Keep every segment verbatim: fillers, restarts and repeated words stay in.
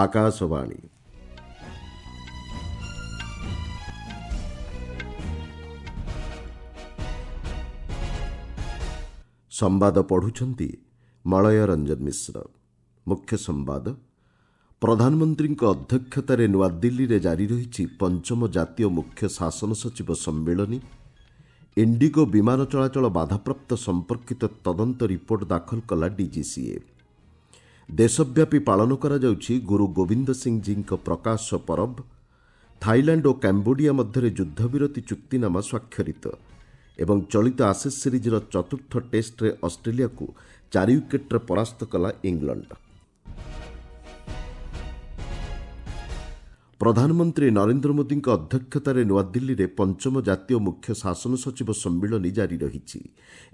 ଆକାଶବାଣୀ ସମ୍ବାଦ ପଢୁଛନ୍ତି ମଳୟ ରଞ୍ଜନ ମିଶ୍ର। ମୁଖ୍ୟ ସମ୍ବାଦ। ପ୍ରଧାନମନ୍ତ୍ରୀଙ୍କ ଅଧ୍ୟକ୍ଷତାରେ ନୂଆଦିଲ୍ଲୀରେ ଜାରି ରହିଛି ପଞ୍ଚମ ଜାତୀୟ ମୁଖ୍ୟ ଶାସନ ସଚିବ ସମ୍ମିଳନୀ। ଇଣ୍ଡିଗୋ ବିମାନ ଚଳାଚଳ ବାଧାପ୍ରାପ୍ତ ସମ୍ପର୍କିତ ତଦନ୍ତ ରିପୋର୍ଟ ଦାଖଲ କଲା ଡିଜିସିଏ। ଦେଶବ୍ୟାପୀ ପାଳନ କରାଯାଉଛି ଗୁରୁ ଗୋବିନ୍ଦ ସିଂଜୀଙ୍କ ପ୍ରକାଶ ପରବ। ଥାଇଲାଣ୍ଡ ଓ କାମ୍ବୋଡିଆ ମଧ୍ୟରେ ଯୁଦ୍ଧବିରତି ଚୁକ୍ତିନାମା ସ୍ୱାକ୍ଷରିତ। ଏବଂ ଚଳିତ ଆସେସ୍ ସିରିଜ୍ର ଚତୁର୍ଥ ଟେଷ୍ଟରେ ଅଷ୍ଟ୍ରେଲିଆକୁ ଚାରି ୱିକେଟ୍ରେ ପରାସ୍ତ କଲା ଇଂଲଣ୍ଡ। ପ୍ରଧାନମନ୍ତ୍ରୀ ନରେନ୍ଦ୍ର ମୋଦିଙ୍କ ଅଧ୍ୟକ୍ଷତାରେ ନୂଆଦିଲ୍ଲୀରେ ପଞ୍ଚମ ଜାତୀୟ ମୁଖ୍ୟ ଶାସନ ସଚିବ ସମ୍ମିଳନୀ ଜାରି ରହିଛି।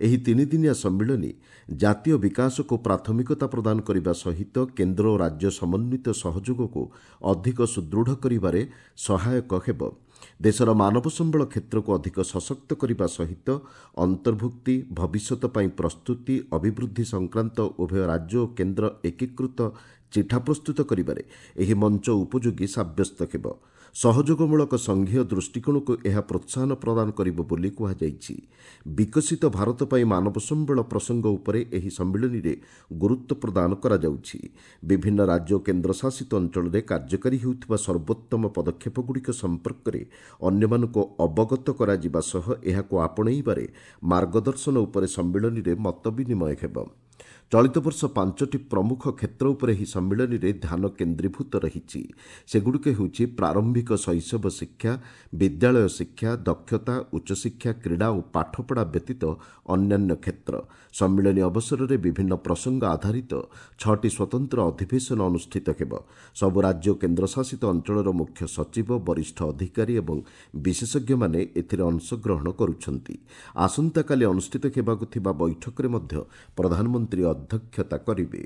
ଏହି ତିନିଦିନିଆ ସମ୍ମିଳନୀ ଜାତୀୟ ବିକାଶକୁ ପ୍ରାଥମିକତା ପ୍ରଦାନ କରିବା ସହିତ କେନ୍ଦ୍ର ଓ ରାଜ୍ୟ ସମନ୍ୱିତ ସହଯୋଗକୁ ଅଧିକ ସୁଦୃଢ଼ କରିବାରେ ସହାୟକ ହେବ। ଦେଶର ମାନବ ସମ୍ବଳ କ୍ଷେତ୍ରକୁ ଅଧିକ ସଶକ୍ତ କରିବା ସହିତ ଅନ୍ତର୍ଭୁକ୍ତି, ଭବିଷ୍ୟତ ପାଇଁ ପ୍ରସ୍ତୁତି, ଅଭିବୃଦ୍ଧି ସଂକ୍ରାନ୍ତ ଉଭୟ ରାଜ୍ୟ ଓ କେନ୍ଦ୍ର ଏକୀକୃତ ଚିଠା ପ୍ରସ୍ତୁତ କରିବାରେ ଏହି ମଞ୍ଚ ଉପଯୋଗୀ ସାବ୍ୟସ୍ତ ହେବ। ସହଯୋଗମୂଳକ ସଂଘୀୟ ଦୃଷ୍ଟିକୋଣକୁ ଏହା ପ୍ରୋତ୍ସାହନ ପ୍ରଦାନ କରିବ ବୋଲି କୁହାଯାଇଛି। ବିକଶିତ ଭାରତ ପାଇଁ ମାନବ ସମ୍ବଳ ପ୍ରସଙ୍ଗ ଉପରେ ଏହି ସମ୍ମିଳନୀରେ ଗୁରୁତ୍ୱ ପ୍ରଦାନ କରାଯାଉଛି। ବିଭିନ୍ନ ରାଜ୍ୟ ଓ କେନ୍ଦ୍ରଶାସିତ ଅଞ୍ଚଳରେ କାର୍ଯ୍ୟକାରୀ ହେଉଥିବା ସର୍ବୋତ୍ତମ ପଦକ୍ଷେପଗୁଡ଼ିକ ସମ୍ପର୍କରେ ଅନ୍ୟମାନଙ୍କୁ ଅବଗତ କରାଯିବା ସହ ଏହାକୁ ଆପଣେଇବାରେ ମାର୍ଗଦର୍ଶନ ଉପରେ ସମ୍ମିଳନୀରେ ମତ ବିନିମୟ ହେବ। ଚଳିତ ବର୍ଷ ପାଞ୍ଚଟି ପ୍ରମୁଖ କ୍ଷେତ୍ର ଉପରେ ଏହି ସମ୍ମିଳନୀରେ ଧ୍ୟାନ କେନ୍ଦ୍ରୀଭୂତ ରହିଛି। ସେଗୁଡ଼ିକ ହେଉଛି ପ୍ରାରମ୍ଭିକ ଶୈଶବ ଶିକ୍ଷା, ବିଦ୍ୟାଳୟ ଶିକ୍ଷା, ଦକ୍ଷତା, ଉଚ୍ଚଶିକ୍ଷା, କ୍ରୀଡ଼ା ଓ ପାଠପଢ଼ା ବ୍ୟତୀତ ଅନ୍ୟାନ୍ୟ କ୍ଷେତ୍ର। ସମ୍ମିଳନୀ ଅବସରରେ ବିଭିନ୍ନ ପ୍ରସଙ୍ଗ ଆଧାରିତ ଛଅଟି ସ୍ୱତନ୍ତ୍ର ଅଧିବେଶନ ଅନୁଷ୍ଠିତ ହେବ। ସବୁ ରାଜ୍ୟ ଓ କେନ୍ଦ୍ରଶାସିତ ଅଞ୍ଚଳର ମୁଖ୍ୟ ସଚିବ, ବରିଷ୍ଠ ଅଧିକାରୀ ଏବଂ ବିଶେଷଜ୍ଞମାନେ ଏଥିରେ ଅଂଶଗ୍ରହଣ କରୁଛନ୍ତି। ଆସନ୍ତାକାଲି ଅନୁଷ୍ଠିତ ହେବାକୁ ଥିବା ବୈଠକରେ ମଧ୍ୟ ପ୍ରଧାନମନ୍ତ୍ରୀ ଅଧ୍ୟକ୍ଷତା କରିବେ।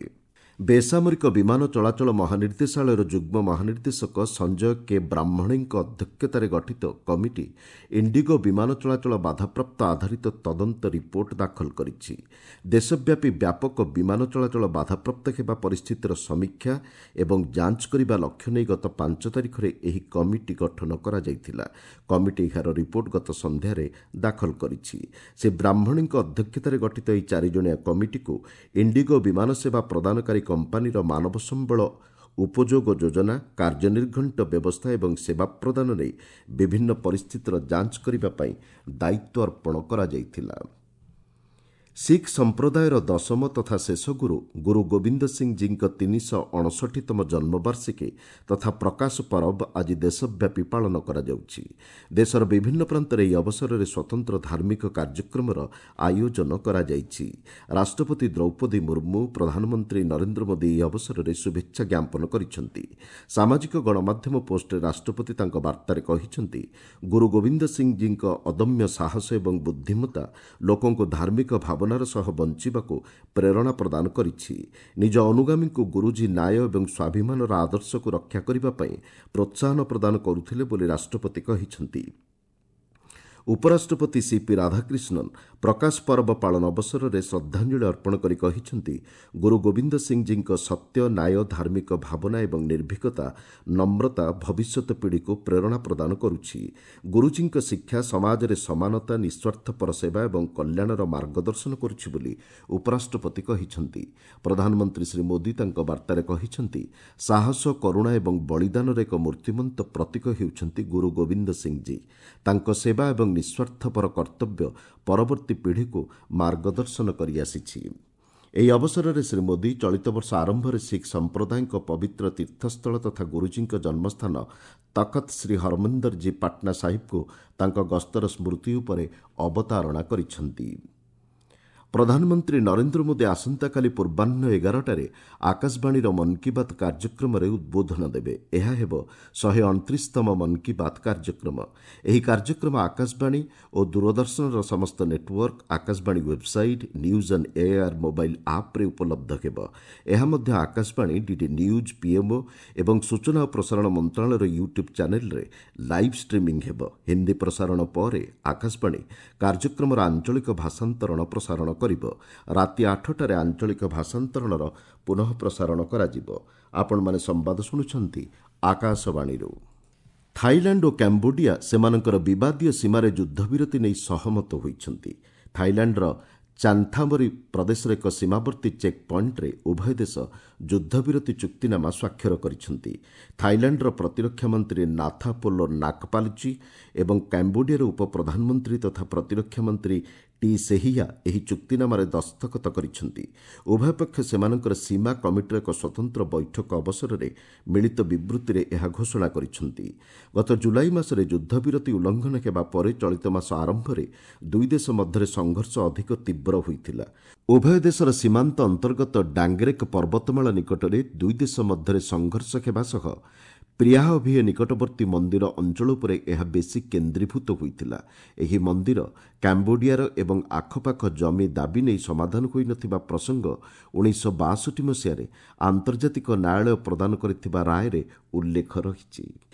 ବେସାମରିକ ବିମାନ ଚଳାଚଳ ମହାନିର୍ଦ୍ଦେଶାଳୟର ଯୁଗ୍ମ ମହାନିର୍ଦ୍ଦେଶକ ସଞ୍ଜୟ କେ ବ୍ରାହ୍ମଣେଙ୍କ ଅଧ୍ୟକ୍ଷତାରେ ଗଠିତ କମିଟି ଇଣ୍ଡିଗୋ ବିମାନ ଚଳାଚଳ ବାଧାପ୍ରାପ୍ତ ଆଧାରିତ ତଦନ୍ତ ରିପୋର୍ଟ ଦାଖଲ କରିଛି। ଦେଶବ୍ୟାପୀ ବ୍ୟାପକ ବିମାନ ଚଳାଚଳ ବାଧାପ୍ରାପ୍ତ ହେବା ପରିସ୍ଥିତିର ସମୀକ୍ଷା ଏବଂ ଯାଞ୍ଚ କରିବା ଲକ୍ଷ୍ୟ ନେଇ ଗତ ପାଞ୍ଚ ତାରିଖରେ ଏହି କମିଟି ଗଠନ କରାଯାଇଥିଲା। କମିଟି ଏହାର ରିପୋର୍ଟ ଗତ ସନ୍ଧ୍ୟାରେ ଦାଖଲ କରିଛି। ଶ୍ରୀ ବ୍ରାହ୍ମଣେଙ୍କ ଅଧ୍ୟକ୍ଷତାରେ ଗଠିତ ଏହି ଚାରିଜଣିଆ କମିଟିକୁ ଇଣ୍ଡିଗୋ ବିମାନ ସେବା ପ୍ରଦାନକାରୀ କମ୍ପାନୀର ମାନବ ସମ୍ବଳ ଉପଯୋଗ ଯୋଜନା, କାର୍ଯ୍ୟନିର୍ଘଣ୍ଟ ବ୍ୟବସ୍ଥା ଏବଂ ସେବା ପ୍ରଦାନ ନେଇ ବିଭିନ୍ନ ପରିସ୍ଥିତିର ଯାଞ୍ଚ କରିବା ପାଇଁ ଦାୟିତ୍ୱ ଅର୍ପଣ କରାଯାଇଥିଲା। ଶିଖ୍ ସମ୍ପ୍ରଦାୟର ଦଶମ ତଥା ଶେଷ ଗୁରୁ ଗୁରୁ ଗୋବିନ୍ଦ ସିଂଜୀଙ୍କ ତିନିଶହ ଅଣଷଠିତମ ଜନ୍ମବାର୍ଷିକୀ ତଥା ପ୍ରକାଶ ପରବ ଆଜି ଦେଶବ୍ୟାପୀ ପାଳନ କରାଯାଉଛି। ଦେଶର ବିଭିନ୍ନ ପ୍ରାନ୍ତରେ ଏହି ଅବସରରେ ସ୍ୱତନ୍ତ୍ର ଧାର୍ମିକ କାର୍ଯ୍ୟକ୍ରମର ଆୟୋଜନ କରାଯାଇଛି। ରାଷ୍ଟ୍ରପତି ଦ୍ରୌପଦୀ ମୁର୍ମୁ, ପ୍ରଧାନମନ୍ତ୍ରୀ ନରେନ୍ଦ୍ର ମୋଦି ଏହି ଅବସରରେ ଶୁଭେଚ୍ଛା ଜ୍ଞାପନ କରିଛନ୍ତି। ସାମାଜିକ ଗଣମାଧ୍ୟମ ପୋଷ୍ଟରେ ରାଷ୍ଟ୍ରପତି ତାଙ୍କ ବାର୍ତ୍ତାରେ କହିଛନ୍ତି, ଗୁରୁ ଗୋବିନ୍ଦ ସିଂଜୀଙ୍କ ଅଦମ୍ୟ ସାହସ ଏବଂ ବୁଦ୍ଧିମତ୍ତା ଲୋକଙ୍କୁ ଧାର୍ମିକ ଭାବନା ସହ ବଞ୍ଚିବାକୁ ପ୍ରେରଣା ପ୍ରଦାନ କରିଛି। ନିଜ ଅନୁଗାମୀଙ୍କୁ ଗୁରୁଜୀ ନ୍ୟାୟ ଏବଂ ସ୍ୱାଭିମାନର ଆଦର୍ଶକୁ ରକ୍ଷା କରିବା ପାଇଁ ପ୍ରୋତ୍ସାହନ ପ୍ରଦାନ କରୁଥିଲେ ବୋଲି ରାଷ୍ଟ୍ରପତି କହିଛନ୍ତି। ଉପରାଷ୍ଟ୍ରପତି ସିପି ରାଧାକ୍ରିଷ୍ଣନ୍ ପ୍ରକାଶ ପରବ ପାଳନ ଅବସରରେ ଶ୍ରଦ୍ଧାଞ୍ଜଳି ଅର୍ପଣ କରି କହିଛନ୍ତି, ଗୁରୁ ଗୋବିନ୍ଦ ସିଂଜୀଙ୍କ ସତ୍ୟ, ନ୍ୟାୟ, ଧାର୍ମିକ ଭାବନା ଏବଂ ନିର୍ଭୀକତା, ନମ୍ରତା ଭବିଷ୍ୟତ ପିଢ଼ିକୁ ପ୍ରେରଣା ପ୍ରଦାନ କରୁଛି। ଗୁରୁଜୀଙ୍କ ଶିକ୍ଷା ସମାଜରେ ସମାନତା, ନିଃସ୍ୱାର୍ଥପର ସେବା ଏବଂ କଲ୍ୟାଣର ମାର୍ଗଦର୍ଶନ କରୁଛି ବୋଲି ଉପରାଷ୍ଟ୍ରପତି କହିଛନ୍ତି। ପ୍ରଧାନମନ୍ତ୍ରୀ ଶ୍ରୀ ମୋଦି ତାଙ୍କ ବାର୍ତ୍ତାରେ କହିଛନ୍ତି, ସାହସ, କରୁଣା ଏବଂ ବଳିଦାନର ଏକ ମୂର୍ତ୍ତିମନ୍ତ ପ୍ରତୀକ ହେଉଛନ୍ତି ଗୁରୁ ଗୋବିନ୍ଦ ସିଂଜୀ। ତାଙ୍କ ସେବା ଏବଂ ନିଃସ୍ୱାର୍ଥପର କର୍ତ୍ତବ୍ୟ ପରବର୍ତ୍ତୀ ପିଢ଼ିକୁ ମାର୍ଗଦର୍ଶନ କରିଆସିଛି। ଏହି ଅବସରରେ ଶ୍ରୀ ମୋଦି ଚଳିତ ବର୍ଷ ଆରମ୍ଭରେ ଶିଖ୍ ସମ୍ପ୍ରଦାୟଙ୍କ ପବିତ୍ର ତୀର୍ଥସ୍ଥଳ ତଥା ଗୁରୁଜୀଙ୍କ ଜନ୍ମସ୍ଥାନ ତଖତ ଶ୍ରୀ ହରମନ୍ଦରଜୀ ପାଟନା ସାହିବକୁ ତାଙ୍କ ଗସ୍ତର ସ୍ମୃତି ଉପରେ ଅବତାରଣା କରିଛନ୍ତି। ପ୍ରଧାନମନ୍ତ୍ରୀ ନରେନ୍ଦ୍ର ମୋଦି ଆସନ୍ତାକାଲି ପୂର୍ବାହ୍ନ ଏଗାରଟାରେ ଆକାଶବାଣୀର ମନ୍ କି ବାତ୍ କାର୍ଯ୍ୟକ୍ରମରେ ଉଦ୍ବୋଧନ ଦେବେ। ଏହା ହେବ ଶହେ ଅଣତିରିଶତମ ମନ୍ କି ବାତ୍ କାର୍ଯ୍ୟକ୍ରମ। ଏହି କାର୍ଯ୍ୟକ୍ରମ ଆକାଶବାଣୀ ଓ ଦୂରଦର୍ଶନର ସମସ୍ତ network, Akashvani website, news on AIR mobile ଆପ୍ରେ ଉପଲବ୍ଧ ହେବ। ଏହା ମଧ୍ୟ ଆକାଶବାଣୀ, ଡିଡି ନ୍ୟୁଜ୍, ପିଏମ୍ଓ ଏବଂ ସୂଚନା ଓ ପ୍ରସାରଣ ମନ୍ତ୍ରଣାଳୟର ୟୁଟ୍ୟୁବ୍ ଚ୍ୟାନେଲ୍ରେ ଲାଇଭ୍ ଷ୍ଟ୍ରିମିଂ ହେବ। ହିନ୍ଦୀ ପ୍ରସାରଣ ପରେ ଆକାଶବାଣୀ କାର୍ଯ୍ୟକ୍ରମର ଆଞ୍ଚଳିକ ଭାଷାନ୍ତରଣ ପ୍ରସାରଣ କରିବ। ରାତି ଆଠଟାରେ ଆଞ୍ଚଳିକ ଭାଷାନ୍ତରଣର ପୁନଃ ପ୍ରସାରଣ କରାଯିବ। ଆପଣମାନେ ସମ୍ବାଦ ଶୁଣୁଛନ୍ତି ଆକାଶବାଣୀରୁ। ଥାଇଲାଣ୍ଡ ଓ କାମ୍ବୋଡିଆ ସେମାନଙ୍କର ବିବାଦୀୟ ସୀମାରେ ଯୁଦ୍ଧବିରତି ନେଇ ସହମତ ହୋଇଛନ୍ତି। ଥାଇଲାଣ୍ଡର ଚାନ୍ଥାବରୀ ପ୍ରଦେଶର ଏକ ସୀମାବର୍ତ୍ତୀ ଚେକ୍ ପଏଣ୍ଟରେ ଉଭୟ ଦେଶ ଯୁଦ୍ଧବିରତି ଚୁକ୍ତିନାମା ସ୍ୱାକ୍ଷର କରିଛନ୍ତି। ଥାଇଲାଣ୍ଡର ପ୍ରତିରକ୍ଷା ମନ୍ତ୍ରୀ ନାଥାପୋଲ ନାକପାଲଚି ଏବଂ କାମ୍ବୋଡିଆର ଉପପ୍ରଧାନମନ୍ତ୍ରୀ ତଥା ପ୍ରତିରକ୍ଷା ମନ୍ତ୍ରୀ ଟି ସେହିୟା ଏହି ଚୁକ୍ତିନାମାରେ ଦସ୍ତଖତ କରିଛନ୍ତି। ଉଭୟ ପକ୍ଷ ସେମାନଙ୍କର ସୀମା କମିଟିର ଏକ ସ୍ୱତନ୍ତ୍ର ବୈଠକ ଅବସରରେ ମିଳିତ ବିବୃତ୍ତିରେ ଏହା ଘୋଷଣା କରିଛନ୍ତି। ଗତ ଜୁଲାଇ ମାସରେ ଯୁଦ୍ଧବିରତି ଉଲ୍ଲଂଘନ ହେବା ପରେ ଚଳିତ ମାସ ଆରମ୍ଭରେ ଦୁଇ ଦେଶ ମଧ୍ୟରେ ସଂଘର୍ଷ ଅଧିକ ତୀବ୍ର ହୋଇଥିଲା। ଉଭୟ ଦେଶର ସୀମାନ୍ତ ଅନ୍ତର୍ଗତ ଡାଙ୍ଗରେକ୍ ପର୍ବତମାଳା ନିକଟରେ ଦୁଇ ଦେଶ ମଧ୍ୟରେ ସଂଘର୍ଷ ହେବା ସହ ପ୍ରିୟାହଭିଏ ନିକଟବର୍ତ୍ତୀ ମନ୍ଦିର ଅଞ୍ଚଳ ଉପରେ ଏହା ବେଶୀ କେନ୍ଦ୍ରୀଭୂତ ହୋଇଥିଲା। ଏହି ମନ୍ଦିର କାମ୍ବୋଡିଆର ଏବଂ ଆଖପାଖ ଜମି ଦାବି ନେଇ ସମାଧାନ ହୋଇନଥିବା ପ୍ରସଙ୍ଗ ଉଣେଇଶହ ବାଷଠି ମସିହାରେ ଆନ୍ତର୍ଜାତିକ ନ୍ୟାୟାଳୟ ପ୍ରଦାନ କରିଥିବା ରାୟରେ ଉଲ୍ଲେଖ ରହିଛି।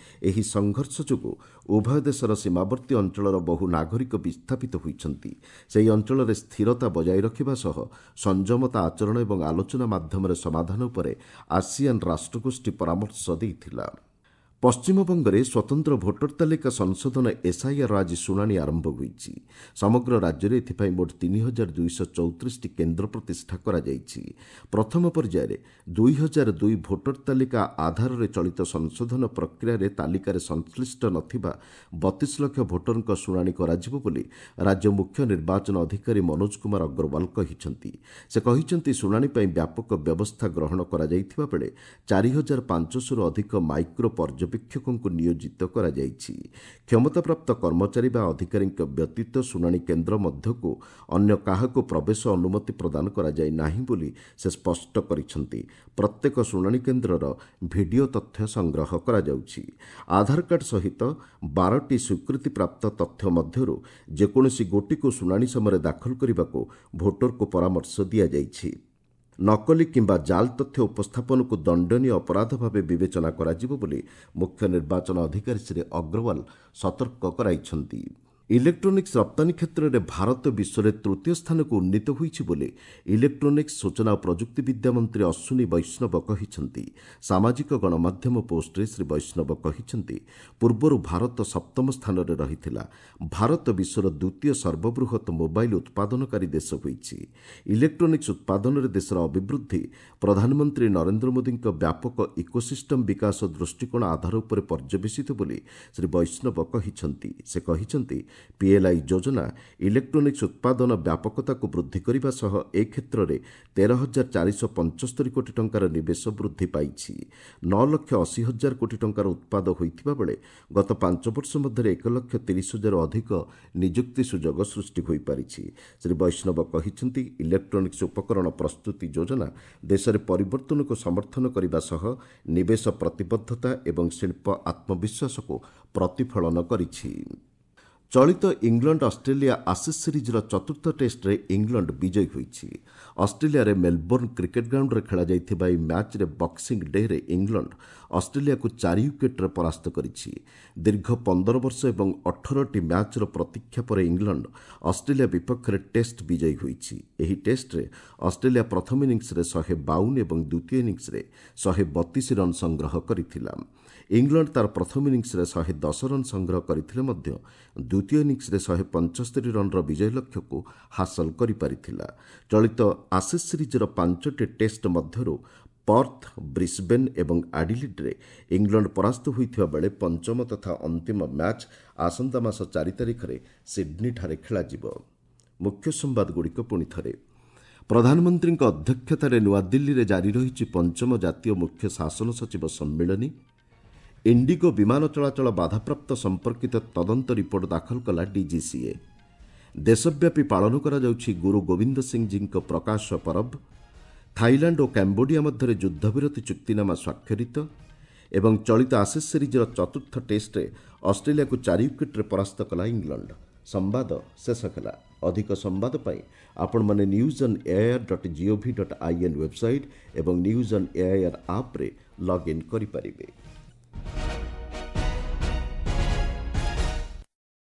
ଏହି ସଂଘର୍ଷ ଯୋଗୁଁ ଉଭୟ ଦେଶର ସୀମାବର୍ତ୍ତୀ ଅଞ୍ଚଳର ବହୁ ନାଗରିକ ବିସ୍ଥାପିତ ହୋଇଛନ୍ତି। ସେହି ଅଞ୍ଚଳରେ ସ୍ଥିରତା ବଜାୟ ରଖିବା ସହ ସଂଯମତା ଆଚରଣ ଏବଂ ଆଲୋଚନା ମାଧ୍ୟମରେ ସମାଧାନ ଉପରେ ଆସିଆନ୍ ରାଷ୍ଟ୍ରଗୋଷ୍ଠୀ ପରାମର୍ଶ ଦେଇଥିଲା। ପଶ୍ଚିମବଙ୍ଗରେ ସ୍ୱତନ୍ତ୍ର ଭୋଟର ତାଲିକା ସଂଶୋଧନ ଏସ୍ଆଇଆର୍ ଆଜି ଶୁଣାଣି ଆରମ୍ଭ ହୋଇଛି। ସମଗ୍ର ରାଜ୍ୟରେ ଏଥିପାଇଁ ମୋଟ ତିନି ହଜାର ଦୁଇଶହ ଚଉତିରିଶଟି କେନ୍ଦ୍ର ପ୍ରତିଷ୍ଠା କରାଯାଇଛି। ପ୍ରଥମ ପର୍ଯ୍ୟାୟରେ ଦୁଇ ହଜାର ଦୁଇ ଭୋଟର ତାଲିକା ଆଧାରରେ ଚଳିତ ସଂଶୋଧନ ପ୍ରକ୍ରିୟାରେ ତାଲିକାରେ ସଂଶ୍ଳିଷ୍ଟ ନଥିବା ବତିଶ ଲକ୍ଷ ଭୋଟରଙ୍କ ଶୁଣାଣି କରାଯିବ ବୋଲି ରାଜ୍ୟ ମୁଖ୍ୟ ନିର୍ବାଚନ ଅଧିକାରୀ ମନୋଜ କୁମାର ଅଗ୍ରୱାଲ କହିଛନ୍ତି। ସେ କହିଛନ୍ତି, ଶୁଣାଣି ପାଇଁ ବ୍ୟାପକ ବ୍ୟବସ୍ଥା ଗ୍ରହଣ କରାଯାଇଥିବା ବେଳେ ଚାରି ହଜାର ପାଞ୍ଚଶହରୁ ଅଧିକ ମାଇକ୍ରୋ ପର୍ଯ୍ୟବେକ୍ଷକଙ୍କୁ ନିୟୋଜିତ କରାଯାଇଛି। କ୍ଷମତାପ୍ରାପ୍ତ କର୍ମଚାରୀ ବା ଅଧିକାରୀଙ୍କ ବ୍ୟତୀତ ଶୁଣାଣି କେନ୍ଦ୍ର ମଧ୍ୟକୁ ଅନ୍ୟ କାହାକୁ ପ୍ରବେଶ ଅନୁମତି ପ୍ରଦାନ କରାଯାଇ ନାହିଁ ବୋଲି ସେ ସ୍ପଷ୍ଟ କରିଛନ୍ତି। ପ୍ରତ୍ୟେକ ଶୁଣାଣି କେନ୍ଦ୍ରର ଭିଡ଼ିଓ ତଥ୍ୟ ସଂଗ୍ରହ କରାଯାଉଛି। ଆଧାର କାର୍ଡ ସହିତ ବାରଟି ସ୍ୱୀକୃତିପ୍ରାପ୍ତ ତଥ୍ୟ ମଧ୍ୟରୁ ଯେକୌଣସି ଗୋଟିକୁ ଶୁଣାଣି ସମୟରେ ଦାଖଲ କରିବାକୁ ଭୋଟରକୁ ପରାମର୍ଶ ଦିଆଯାଇଛି। ନକଲି କିମ୍ବା ଜାଲ୍ ତଥ୍ୟ ଉପସ୍ଥାପନକୁ ଦଣ୍ଡନୀୟ ଅପରାଧ ଭାବେ ବିବେଚନା କରାଯିବ ବୋଲି ମୁଖ୍ୟ ନିର୍ବାଚନ ଅଧିକାରୀ ଶ୍ରୀ ଅଗ୍ରୱାଲ ସତର୍କ କରାଇଛନ୍ତି। ଇଲେକ୍ଟ୍ରୋନିକ୍ସ ରପ୍ତାନୀ କ୍ଷେତ୍ରରେ ଭାରତ ବିଶ୍ୱରେ ତୃତୀୟ ସ୍ଥାନକୁ ଉନ୍ନୀତ ହୋଇଛି ବୋଲି ଇଲେକ୍ଟ୍ରୋନିକ୍ସ, ସୂଚନା ଓ ପ୍ରଯୁକ୍ତିବିଦ୍ୟା ମନ୍ତ୍ରୀ ଅଶ୍ୱିନୀ ବୈଷ୍ଣବ କହିଛନ୍ତି। ସାମାଜିକ ଗଣମାଧ୍ୟମ ପୋଷ୍ଟରେ ଶ୍ରୀ ବୈଷ୍ଣବ କହିଛନ୍ତି, ପୂର୍ବରୁ ଭାରତ ସପ୍ତମ ସ୍ଥାନରେ ରହିଥିଲା। ଭାରତ ବିଶ୍ୱର ଦ୍ୱିତୀୟ ସର୍ବବୃହତ୍ ମୋବାଇଲ ଉତ୍ପାଦନକାରୀ ଦେଶ ହୋଇଛି। ଇଲେକ୍ଟ୍ରୋନିକ୍ସ ଉତ୍ପାଦନରେ ଦେଶର ଅଭିବୃଦ୍ଧି ପ୍ରଧାନମନ୍ତ୍ରୀ ନରେନ୍ଦ୍ର ମୋଦିଙ୍କ ବ୍ୟାପକ ଇକୋସିଷ୍ଟମ ବିକାଶ ଦୃଷ୍ଟିକୋଣ ଆଧାର ଉପରେ ପର୍ଯ୍ୟବେସିତ ବୋଲି ଶ୍ରୀ ବୈଷ୍ଣବ କହିଛନ୍ତି। ସେ କହିଛନ୍ତି, ପିଏଲ୍ଆଇ ଯୋଜନା ଇଲେକ୍ଟ୍ରୋନିକ୍ସ ଉତ୍ପାଦନ ବ୍ୟାପକତାକୁ ବୃଦ୍ଧି କରିବା ସହ ଏ କ୍ଷେତ୍ରରେ ତେର ହଜାର ଚାରିଶହ ପଞ୍ଚସ୍ତରୀ କୋଟି ଟଙ୍କାର ନିବେଶ ବୃଦ୍ଧି ପାଇଛି। ନଅ ଲକ୍ଷ ଅଶୀ ହଜାର କୋଟି ଟଙ୍କାର ଉତ୍ପାଦ ହୋଇଥିବା ବେଳେ ଗତ ପାଞ୍ଚ ବର୍ଷ ମଧ୍ୟରେ ଏକ ଲକ୍ଷ ତିରିଶ ହଜାରରୁ ଅଧିକ ନିଯୁକ୍ତି ସୁଯୋଗ ସୃଷ୍ଟି ହୋଇପାରିଛି। ଶ୍ରୀ ବୈଷ୍ଣବ କହିଛନ୍ତି, ଇଲେକ୍ଟ୍ରୋନିକ୍ସ ଉପକରଣ ପ୍ରସ୍ତୁତି ଯୋଜନା ଦେଶରେ ପରିବର୍ତ୍ତନକୁ ସମର୍ଥନ କରିବା ସହ ନିବେଶ ପ୍ରତିବଦ୍ଧତା ଏବଂ ଶିଳ୍ପ ଆତ୍ମବିଶ୍ୱାସକୁ ପ୍ରତିଫଳନ କରିଛି। ଚଳିତ ଇଂଲଣ୍ଡ ଅଷ୍ଟ୍ରେଲିଆ ଆସେସ୍ ସିରିଜ୍ର ଚତୁର୍ଥ ଟେଷ୍ଟରେ ଇଂଲଣ୍ଡ ବିଜୟୀ ହୋଇଛି। ଅଷ୍ଟ୍ରେଲିଆରେ ମେଲବୋର୍ଣ୍ଣ କ୍ରିକେଟ୍ ଗ୍ରାଉଣ୍ଡରେ ଖେଳାଯାଇଥିବା ଏହି ମ୍ୟାଚ୍ରେ ବକ୍ସିଂ ଡେରେ ଇଂଲଣ୍ଡ ଅଷ୍ଟ୍ରେଲିଆକୁ ଚାରି ୱିକେଟ୍ରେ ପରାସ୍ତ କରିଛି। ଦୀର୍ଘ ପନ୍ଦର ବର୍ଷ ଏବଂ ଅଠରଟି ମ୍ୟାଚ୍ର ପ୍ରତୀକ୍ଷା ପରେ ଇଂଲଣ୍ଡ ଅଷ୍ଟ୍ରେଲିଆ ବିପକ୍ଷରେ ଟେଷ୍ଟ ବିଜୟୀ ହୋଇଛି। ଏହି ଟେଷ୍ଟରେ ଅଷ୍ଟ୍ରେଲିଆ ପ୍ରଥମ ଇନିଂସରେ ଶହେ ବାଉନ ଏବଂ ଦ୍ୱିତୀୟ ଇନିଂସରେ ଶହେ ବତିଶ ରନ୍ ସଂଗ୍ରହ କରିଥିଲା। ଇଂଲଣ୍ଡ ତାର ପ୍ରଥମ ଇନିଂସରେ ଶହେ ଦଶ ରନ୍ ସଂଗ୍ରହ କରିଥିଲେ ମଧ୍ୟ ଦ୍ୱିତୀୟ ଇନିଂସରେ ଶହେ ପଞ୍ଚସ୍ତରୀ ରନ୍ର ବିଜୟ ଲକ୍ଷ୍ୟକୁ ହାସଲ କରିପାରିଥିଲା। ଚଳିତ ଆସେସ୍ ସିରିଜ୍ର ପାଞ୍ଚଟି ଟେଷ୍ଟ ମଧ୍ୟରୁ ପର୍ଥ, ବ୍ରିସ୍ବେନ୍ ଏବଂ ଆଡିଲିଡ୍ରେ ଇଂଲଣ୍ଡ ପରାସ୍ତ ହୋଇଥିବା ବେଳେ ପଞ୍ଚମ ତଥା ଅନ୍ତିମ ମ୍ୟାଚ୍ ଆସନ୍ତା ମାସ ଚାରି ତାରିଖରେ ସିଡ୍ନୀଠାରେ ଖେଳାଯିବ। ମୁଖ୍ୟ ସମ୍ବାଦଗୁଡ଼ିକ ପୁଣି ଥରେ। ପ୍ରଧାନମନ୍ତ୍ରୀଙ୍କ ଅଧ୍ୟକ୍ଷତାରେ ନୂଆଦିଲ୍ଲୀରେ ଜାରି ରହିଛି ପଞ୍ଚମ ଜାତୀୟ ମୁଖ୍ୟ ଶାସନ ସଚିବ ସମ୍ମିଳନୀ। ଇଣ୍ଡିଗୋ ବିମାନ ଚଳାଚଳ ବାଧାପ୍ରାପ୍ତ ସମ୍ପର୍କିତ ତଦନ୍ତ ରିପୋର୍ଟ ଦାଖଲ କଲା ଡିଜିସିଏ। ଦେଶବ୍ୟାପୀ ପାଳନ କରାଯାଉଛି ଗୁରୁ ଗୋବିନ୍ଦ ସିଂଜୀଙ୍କ ପ୍ରକାଶ ପରବ। ଥାଇଲାଣ୍ଡ ଓ କାମ୍ବୋଡିଆ ମଧ୍ୟରେ ଯୁଦ୍ଧବିରତି ଚୁକ୍ତିନାମା ସ୍ୱାକ୍ଷରିତ ଏବଂ ଚଳିତ ଆସେସ୍ ସିରିଜ୍ର ଚତୁର୍ଥ ଟେଷ୍ଟରେ ଅଷ୍ଟ୍ରେଲିଆକୁ ଚାରି ୱିକେଟ୍ରେ ପରାସ୍ତ କଲା ଇଂଲଣ୍ଡ। ସମ୍ବାଦ ଶେଷ ହେଲା। ଅଧିକ ସମ୍ବାଦ ପାଇଁ ଆପଣମାନେ news on AIR dot gov dot I N website ଏବଂ ନ୍ୟୁଜ୍ ଅନ୍ ଏଆଇଆର୍ ଆପ୍ରେ ଲଗ୍ଇନ୍ କରିପାରିବେ।